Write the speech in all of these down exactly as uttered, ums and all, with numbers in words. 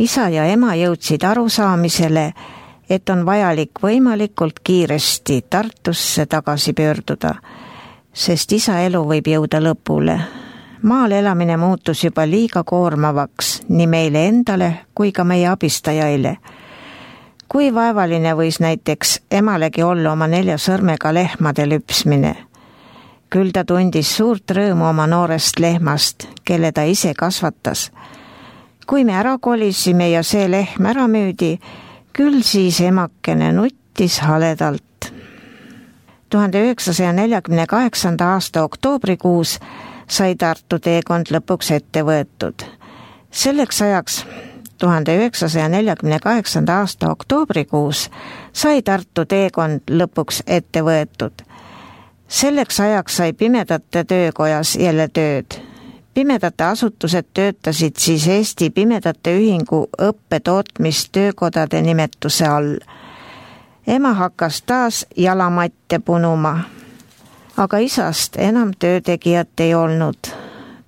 Isa ja ema jõudsid arusaamisele, et on vajalik võimalikult kiiresti Tartusse tagasi pöörduda, sest isa elu võib jõuda lõpule. Maal elamine muutus juba liiga koormavaks nii meile endale kui ka meie abistajaile. Kui vaevaline võis näiteks emalegi olla oma nelja sõrmega lehmade lüpsmine. Küll ta tundis suurt rõõmu oma noorest lehmast, kelle ta ise kasvatas. Kui me ära kolisime ja see lehm ära müüdi, küll siis emakene nuttis haledalt. tuhande üheksasaja neljakümne kaheksanda aasta oktoobrikuus sai Tartu teekond lõpuks ette võetud. Selleks ajaks, tuhande üheksasaja neljakümne kaheksanda aasta oktoobrikuus, sai Tartu teekond lõpuks ette võetud. Selleks ajaks sai Pimedate Töökojas jälle tööd. Pimedate asutused töötasid siis Eesti Pimedate Ühingu õppetootmistöökodade nimetuse all. Ema hakkas taas jalamatte punuma, aga isast enam töötegijat ei olnud.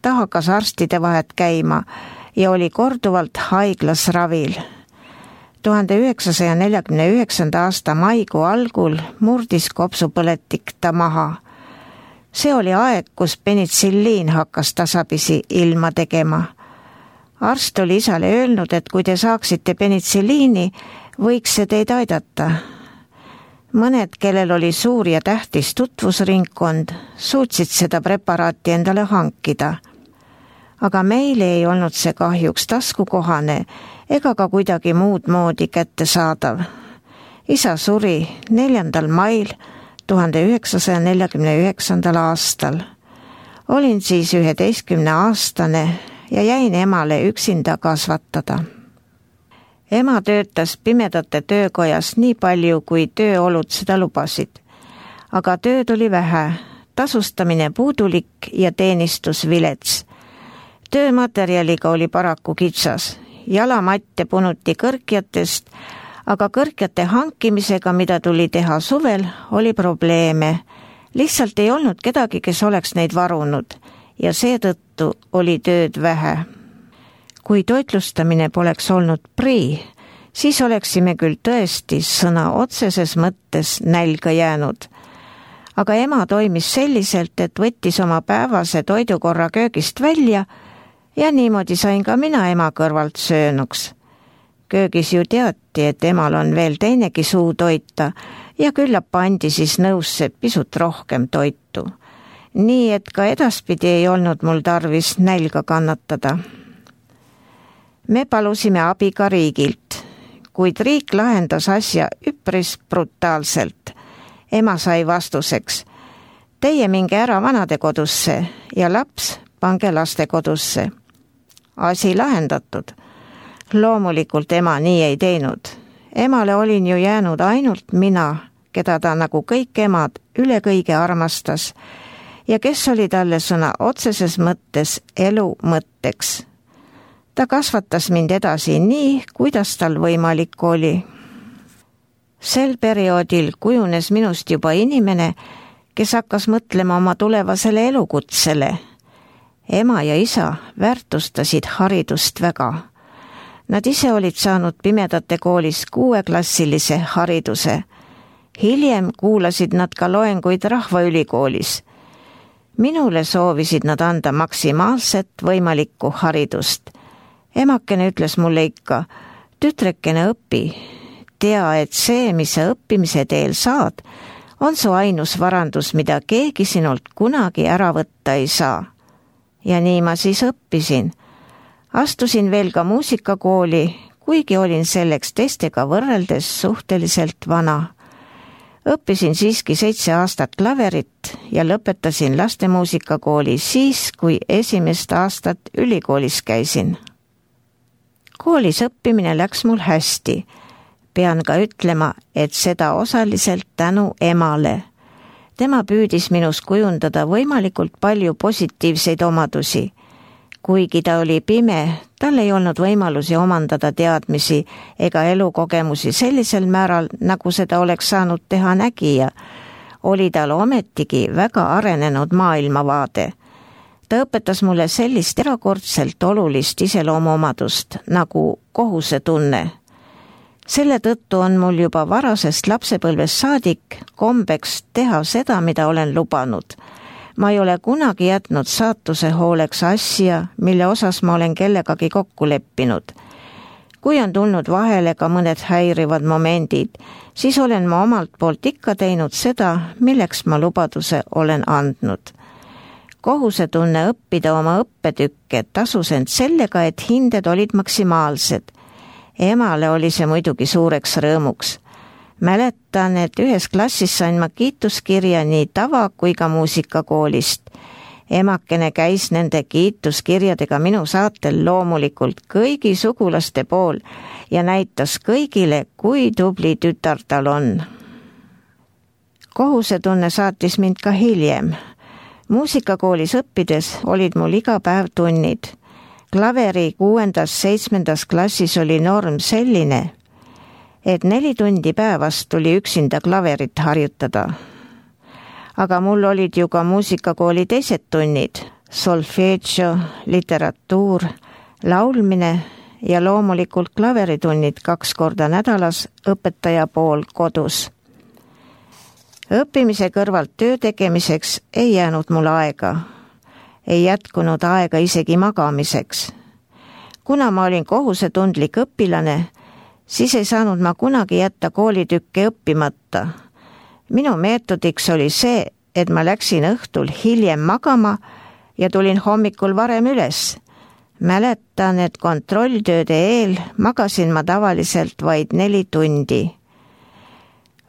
Ta hakkas arstide vahet käima ja oli korduvalt haiglas ravil. tuhande üheksasaja neljakümne üheksanda aasta maikuu algul murdis kopsupõletik ta maha. See oli aeg, kus penitsilliin hakkas tasapisi ilma tegema. Arst oli isale öelnud, et kui te saaksite penitsilliini, võiks see teid aidata. Mõned, kellel oli suur ja tähtis tutvusringkond, suutsid seda preparaati endale hankida. Aga meile ei olnud see kahjuks taskukohane ega ka kuidagi muud moodi kättesaadav. Isa suri neljandal mail tuhande üheksasaja neljakümne üheksandal aastal. Olin siis üheteistkümne aastane ja jäin emale üksinda kasvatada. Ema töötas Pimedate Töökojas nii palju, kui tööolud seda lubasid. Aga tööd oli vähe, tasustamine puudulik ja teenistus vilets. Töömaterjaliga oli paraku kitsas. Jalamatte punuti kõrkjatest, aga kõrkjate hankimisega, mida tuli teha suvel, oli probleeme. Lihtsalt ei olnud kedagi, kes oleks neid varunud ja seetõttu oli tööd vähe. Kui toitlustamine poleks olnud prii, siis oleksime küll tõesti sõna otseses mõttes nälga jäänud. Aga ema toimis selliselt, et võttis oma päevase toidukorra köögist välja ja niimoodi sain ka mina ema kõrvalt söönuks. Köögis ju teati, et emal on veel teinegi suu toita ja küllap pandi siis nõusse pisut rohkem toitu. Nii et ka edaspidi ei olnud mul tarvis nälga kannatada. Me palusime abi ka riigilt, kuid riik lahendas asja üpris brutaalselt. Ema sai vastuseks: teie minge ära vanadekodusse ja laps pange lastekodusse. Asi lahendatud. Loomulikult ema nii ei teinud. Emale olin ju jäänud ainult mina, keda ta nagu kõik emad üle kõige armastas ja kes oli talle sõna otseses mõttes elu mõtteks. Ta kasvatas mind edasi nii, kuidas tal võimalik oli. Sel perioodil kujunes minust juba inimene, kes hakkas mõtlema oma tulevasele elukutsele. Ema ja isa väärtustasid haridust väga. Nad ise olid saanud Pimedate koolis kuueklassilise hariduse. Hiljem kuulasid nad ka loenguid Rahvaülikoolis. Minule soovisid nad anda maksimaalset võimalikku haridust. Emakene ütles mulle ikka: tütrekene õpi, tea, et see, mis sa õppimise teel saad, on su ainus varandus, mida keegi sinult kunagi ära võtta ei saa. Ja nii ma siis õppisin. Astusin veel ka muusikakooli, kuigi olin selleks teistega võrreldes suhteliselt vana. Õppisin siiski seitse aastat klaverit ja lõpetasin lastemuusikakooli siis, kui esimest aastat ülikoolis käisin. Koolis õppimine läks mul hästi. Pean ka ütlema, et seda osaliselt tänu emale. Tema püüdis minus kujundada võimalikult palju positiivseid omadusi. Kuigi ta oli pime, tal ei olnud võimalusi omandada teadmisi ega elukogemusi sellisel määral, nagu seda oleks saanud teha nägija, oli tal ometigi väga arenenud maailmavaade. Ta õpetas mulle sellist erakordselt olulist iseloomuomadust nagu kohusetunne. Selle tõttu on mul juba varasest lapsepõlvest saadik kombeks teha seda, mida olen lubanud. Ma ei ole kunagi jätnud saatuse hooleks asja, mille osas ma olen kellegagi kokku leppinud. Kui on tulnud vahele ka mõned häirivad momendid, siis olen ma omalt poolt ikka teinud seda, milleks ma lubaduse olen andnud. Kohusetunne õppida oma õppetükke tasus end sellega, et hinded olid maksimaalsed. Emale oli see muidugi suureks rõõmuks. Mäletan, et ühes klassis sain ma kiituskirja nii tava- kui ka muusikakoolist. Emakene käis nende kiituskirjadega minu saatel loomulikult kõigi sugulaste pool ja näitas kõigile, kui tubli tütar tal on. Kohusetunne saatis mind ka hiljem. Muusikakoolis õppides olid mul iga päev tunnid. Klaveri kuuendas, seitsmendas klassis oli norm selline, et neli tundi päevast tuli üksinda klaverit harjutada. Aga mul olid ju ka muusikakooli teised tunnid, solfeggio, literatuur, laulmine ja loomulikult klaveritunnid kaks korda nädalas õpetaja pool kodus. Õppimise kõrvalt töö tegemiseks ei jäänud mul aega. Ei jätkunud aega isegi magamiseks. Kuna ma olin kohusetundlik õpilane, siis ei saanud ma kunagi jätta koolitükke õppimata. Minu meetodiks oli see, et ma läksin õhtul hiljem magama ja tulin hommikul varem üles. Mäletan, et kontrolltööde eel magasin ma tavaliselt vaid neli tundi.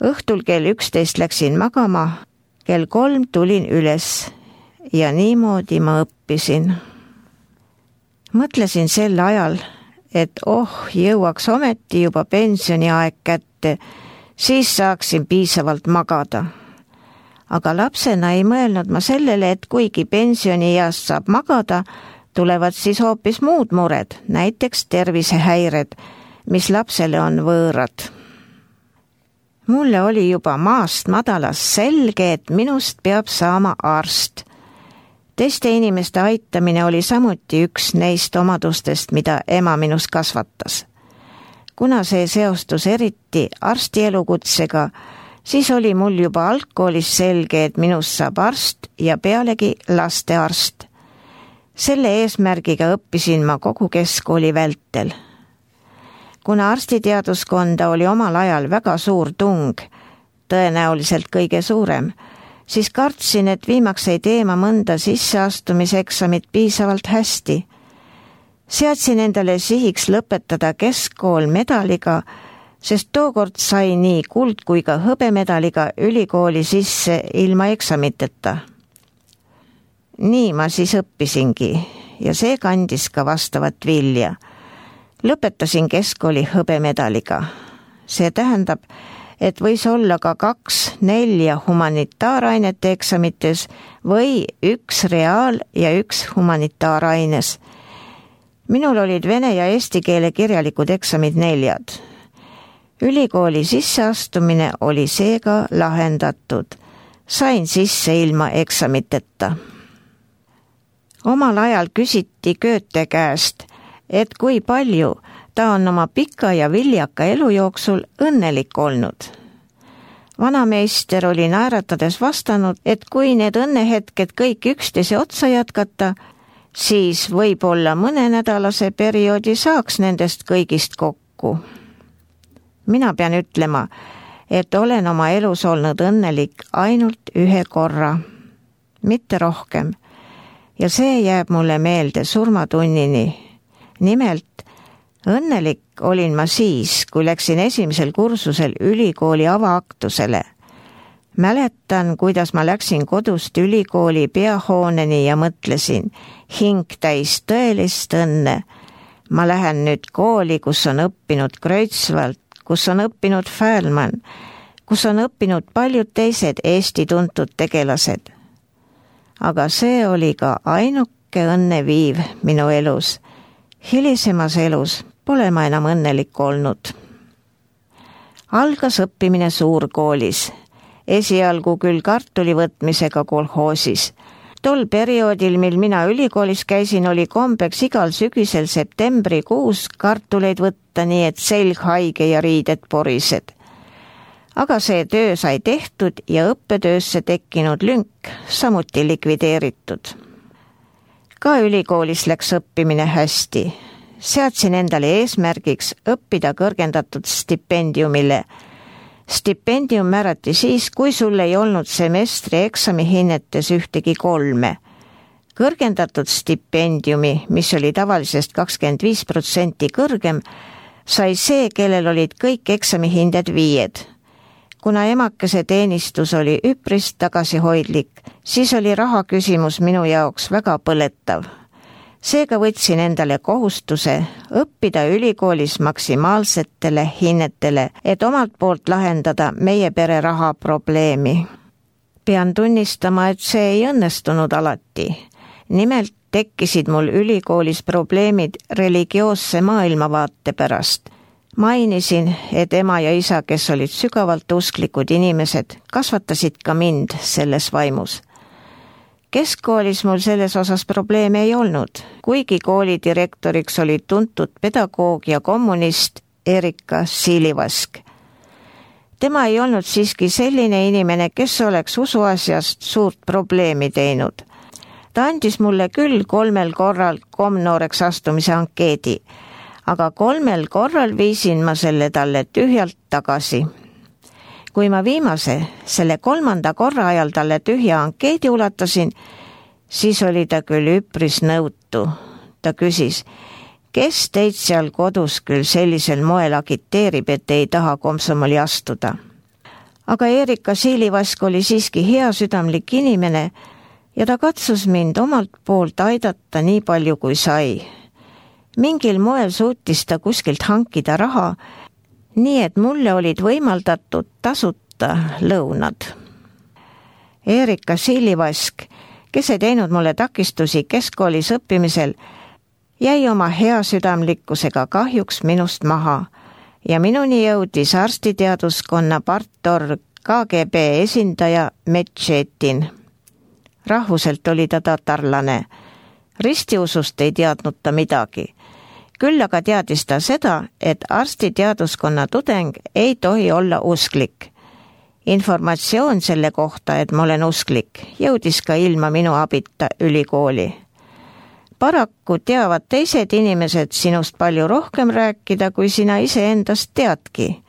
Õhtul kell üksteist läksin magama, kell kolm tulin üles ja niimoodi ma õppisin. Mõtlesin sel ajal, et oh, jõuaks ometi juba pensioniaeg kätte, siis saaksin piisavalt magada. Aga lapsena ei mõelnud ma sellele, et kuigi pensionieast saab magada, tulevad siis hoopis muud mured, näiteks tervisehäired, mis lapsele on võõrad. Mulle oli juba maast madalas selge, et minust peab saama arst. Teiste inimeste aitamine oli samuti üks neist omadustest, mida ema minus kasvatas. Kuna see seostus eriti arsti elukutsega, siis oli mul juba algkoolis selge, et minust saab arst ja pealegi lastearst. Selle eesmärgiga õppisin ma kogu keskkooli vältel. Kuna arstiteaduskonda oli omal ajal väga suur tung, tõenäoliselt kõige suurem, siis kartsin, et viimaks ei tee ma mõnda sisseastumiseksamit piisavalt hästi. Seadsin endale sihiks lõpetada keskkool medaliga, sest tookord sai nii kuld kui ka hõbemedaliga ülikooli sisse ilma eksamiteta. Nii ma siis õppisingi ja see kandis ka vastavat vilja. Lõpetasin keskkooli hõbemedaliga. See tähendab, et võis olla ka kaks nelja humanitaarainete eksamites või üks reaal- ja üks humanitaaraines. Minul olid vene ja eesti keele kirjalikud eksamid neljad. Ülikooli sisseastumine oli seega lahendatud. Sain sisse ilma eksamiteta. Omal ajal küsiti Goethe käest, et kui palju ta on oma pika ja viljaka elu jooksul õnnelik olnud. Vanameister oli naeratades vastanud, et kui need õnnehetked kõik üksteise otsa jätkata, siis võib-olla mõnenädalase perioodi saaks nendest kõigist kokku. Mina pean ütlema, et olen oma elus olnud õnnelik ainult ühe korra, mitte rohkem, ja see jääb mulle meelde surmatunnini. Nimelt, õnnelik olin ma siis, kui läksin esimesel kursusel ülikooli avaaktusele. Mäletan, kuidas ma läksin kodust ülikooli peahooneni ja mõtlesin, hing täis tõelist õnne. Ma lähen nüüd kooli, kus on õppinud Kreutzwald, kus on õppinud Fählmann, kus on õppinud paljud teised Eesti tuntud tegelased. Aga see oli ka ainuke õnneviiv minu elus. Hilisemas elus pole ma enam õnnelik olnud. Algas õppimine suurkoolis, esialgu küll kartuli võtmisega kolhoosis, Tol perioodil, mil mina ülikoolis käisin, oli kombeks igal sügisel septembrikuus kartuleid võtta, nii et selg haige ja riided porised. Aga see töö sai tehtud ja õppetöösse tekkinud lünk samuti likvideeritud. Ka ülikoolis läks õppimine hästi. Seadsin endale eesmärgiks õppida kõrgendatud stipendiumile. Stipendium määrati siis, kui sul ei olnud semestri eksamihinnetes ühtegi kolme. Kõrgendatud stipendiumi, mis oli tavalisest kakskümmend viis protsenti kõrgem, sai see, kellel olid kõik eksamihinded viied. Kuna emakese teenistus oli üpris tagasihoidlik, siis oli raha küsimus minu jaoks väga põletav. Seega võtsin endale kohustuse õppida ülikoolis maksimaalsetele hinnetele, et omalt poolt lahendada meie pere raha probleemi. Pean tunnistama, et see ei õnnestunud alati. Nimelt tekkisid mul ülikoolis probleemid religioosse maailmavaate pärast. Mainisin, et ema ja isa, kes olid sügavalt usklikud inimesed, kasvatasid ka mind selles vaimus. Keskkoolis mul selles osas probleeme ei olnud, kuigi kooli direktoriks oli tuntud pedagoog ja kommunist Erika Silivask. Tema ei olnud siiski selline inimene, kes oleks usuasjast suurt probleemi teinud. Ta andis mulle küll kolmel korral komnooreks astumise ankeedi, aga kolmel korral viisin ma selle talle tühjalt tagasi. Kui ma viimase, selle kolmanda korra ajal talle tühja ankeedi ulatasin, siis oli ta küll üpris nõutu. Ta küsis, kes teid seal kodus küll sellisel moel agiteerib, et ei taha komsomoli astuda. Aga Erika Silivask oli siiski hea südamlik inimene ja ta katsus mind omalt poolt aidata nii palju kui sai. Mingil moel suutis ta kuskilt hankida raha, nii et mulle olid võimaldatud tasuta lõunad. Erika Silivask, kes ei teinud mulle takistusi keskkoolis õppimisel, jäi oma hea südamlikkusega kahjuks minust maha ja minuni jõudis arstiteaduskonna partorg K G B esindaja Metšetin. Rahvuselt oli ta tatarlane. Ristiusust ei teadnud ta midagi. Küll aga teadis ta seda, et arstiteaduskonna tudeng ei tohi olla usklik. Informatsioon selle kohta, et ma olen usklik, jõudis ka ilma minu abita ülikooli. Paraku teavad teised inimesed sinust palju rohkem rääkida, kui sina ise endast teadki.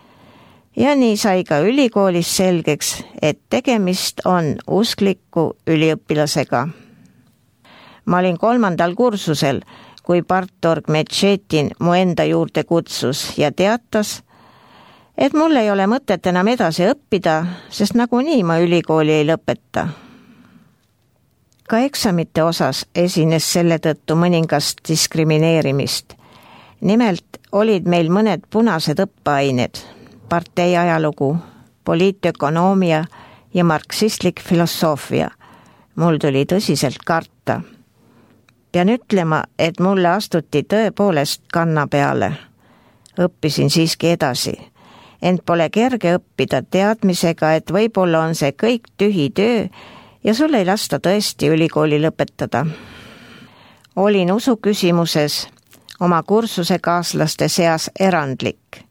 Ja nii sai ka ülikoolis selgeks, et tegemist on uskliku üliõpilasega. Ma olin kolmandal kursusel, kui partorg Metšetin mu enda juurde kutsus ja teatas, et mul ei ole mõtet enam edasi õppida, sest nagunii ma ülikooli ei lõpeta. Ka eksamite osas esines selle tõttu mõningast diskrimineerimist. Nimelt olid meil mõned punased õppeained, partei ajalugu, poliitökonoomia ja marksistlik filosoofia. Mul tuli tõsiselt karta. Pean ütlema, et mulle astuti tõepoolest kanna peale. Õppisin siiski edasi. Ent pole kerge õppida teadmisega, et võib-olla on see kõik tühi töö ja sul ei lasta tõesti ülikooli lõpetada. Olin usu küsimuses oma kursuse kaaslaste seas erandlik.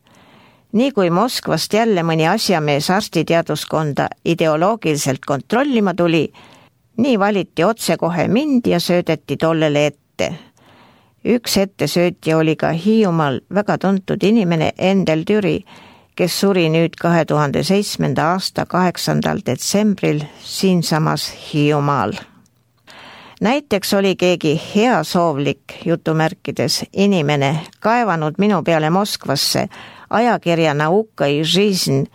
Nii kui Moskvast jälle mõni asjamees arstiteaduskonda ideoloogiliselt kontrollima tuli, nii valiti otse kohe mind ja söödeti tollele ette. Üks ettesöötja oli ka Hiiumaal väga tuntud inimene Endel Türi, kes suri nüüd kahe tuhande seitsmenda aasta kaheksandal detsembril siinsamas Hiiumaal. Näiteks oli keegi heasoovlik jutumärkides inimene kaevanud minu peale Moskvasse ajakirja Nauka i Жизнь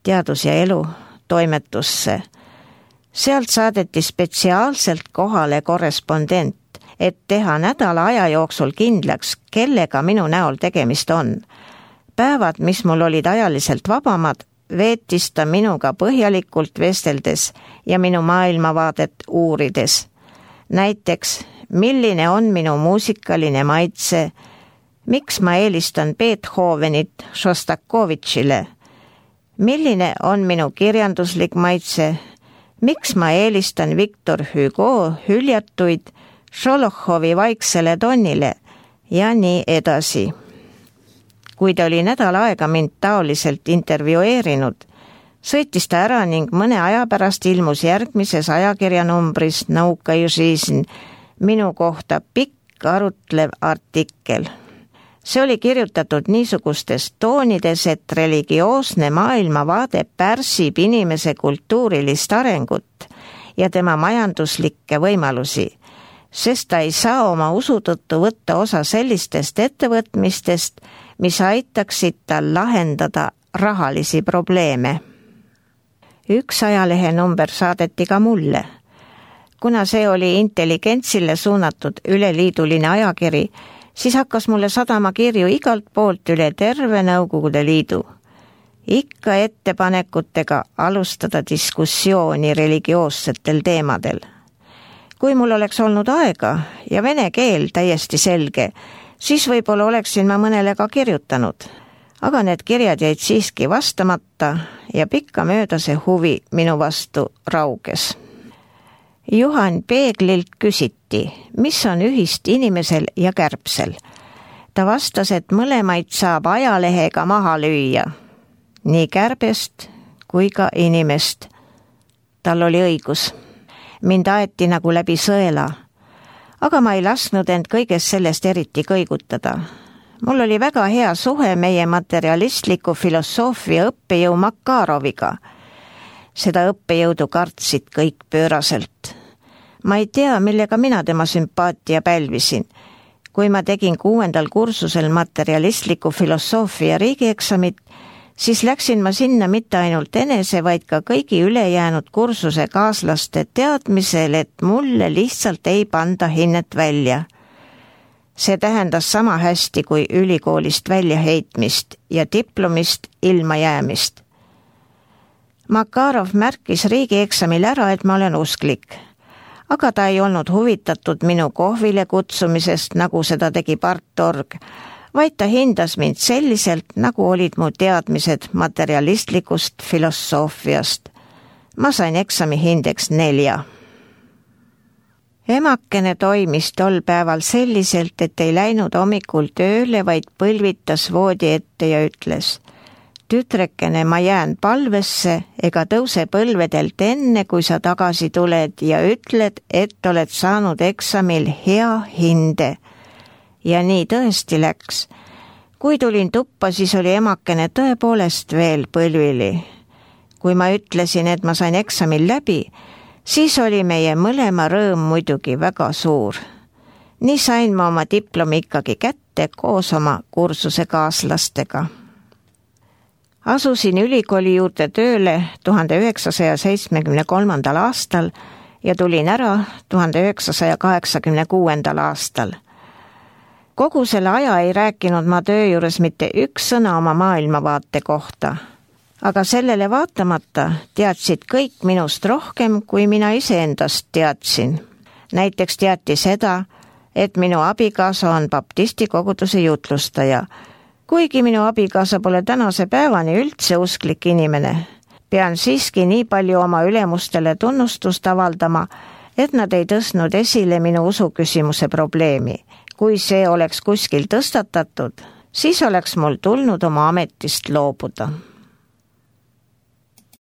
teadus ja elu toimetusse. Sealt saadeti spetsiaalselt kohale korrespondent, et teha nädala aja jooksul kindlaks, kellega minu näol tegemist on. Päevad, mis mul olid ajaliselt vabamad, veetis ta minuga põhjalikult vesteldes ja minu maailmavaadet uurides. Näiteks, milline on minu muusikaline maitse, miks ma eelistan Beethovenit Šostakovitšile, milline on minu kirjanduslik maitse, miks ma eelistan Victor Hugo hüljatuid Šolohovi Vaiksele tonnile ja nii edasi. Kui ta oli nädal aega mind taoliselt intervjueerinud, sõitis ta ära ning mõne aja pärast ilmus järgmises ajakirjanumbris Nauka i Жизнь minu kohta pikk arutlev artikkel. See oli kirjutatud niisugustes toonides, et religioosne maailmavaade pärsib inimese kultuurilist arengut ja tema majanduslikke võimalusi, sest ta ei saa oma usu tõttu võtta osa sellistest ettevõtmistest, mis aitaksid tal lahendada rahalisi probleeme. Üks ajalehe number saadeti ka mulle. Kuna see oli intelligentsile suunatud üleliiduline ajakiri, siis hakkas mulle sadama kirju igalt poolt üle terve Nõukogude Liidu. Ikka ettepanekutega alustada diskussiooni religioossetel teemadel. Kui mul oleks olnud aega ja vene keel täiesti selge, siis võib-olla oleksin ma mõnele ka kirjutanud. Aga need kirjad jäid siiski vastamata ja pikka mööda see huvi minu vastu rauges. Juhan Peeglilt küsiti, mis on ühist inimesel ja kärbsel. Ta vastas, et mõlemaid saab ajalehega maha lüüa. Nii kärbest kui ka inimest. Tal oli õigus. Mind aeti nagu läbi sõela. Aga ma ei lasknud end kõigest sellest eriti kõigutada. Mul oli väga hea suhe meie materialistliku filosoofia õppejõu Makaroviga. Seda õppejõudu kartsid kõik pööraselt. Ma ei tea, millega mina tema sümpaatia pälvisin. Kui ma tegin kuuendal kursusel materialistliku filosoofia riigieksamit, siis läksin ma sinna mitte ainult enese, vaid ka kõigi ülejäänud kursuse kaaslaste teadmisel, et mulle lihtsalt ei panda hinnet välja. See tähendas sama hästi kui ülikoolist väljaheitmist ja diplomist ilma jäämist. Makarov märkis riigieksamil ära, et ma olen usklik, aga ta ei olnud huvitatud minu kohvile kutsumisest, nagu seda tegi Partorg, vaid ta hindas mind selliselt, nagu olid mu teadmised materialistlikust filosoofiast. Ma sain eksami hindeks nelja. Emakene toimis tol päeval selliselt, et ei läinud hommikul tööle, vaid põlvitas voodi ette ja ütles: tütrekene, ma jään palvesse ega tõuse põlvedelt enne, kui sa tagasi tuled ja ütled, et oled saanud eksamil hea hinde. Ja nii tõesti läks. Kui tulin tuppa, siis oli emakene tõepoolest veel põlvili. Kui ma ütlesin, et ma sain eksamil läbi, siis oli meie mõlema rõõm muidugi väga suur. Nii sain ma oma diplomi ikkagi kätte koos oma kursuse kaaslastega. Asusin ülikooli juurde tööle tuhande üheksasaja seitsmekümne kolmandal aastal ja tulin ära tuhande üheksasaja kaheksakümne kuuendal aastal. Kogu selle aja ei rääkinud ma töö juures mitte üks sõna oma maailmavaate kohta. Aga sellele vaatamata teadsid kõik minust rohkem, kui mina iseendast teadsin. Näiteks teati seda, et minu abikaasa on baptisti koguduse jutlustaja, kuigi minu abikaasa pole tänase päevani üldse usklik inimene. Pean siiski nii palju oma ülemustele tunnustust avaldama, et nad ei tõstnud esile minu usuküsimuse probleemi. Kui see oleks kuskil tõstatatud, siis oleks mul tulnud oma ametist loobuda.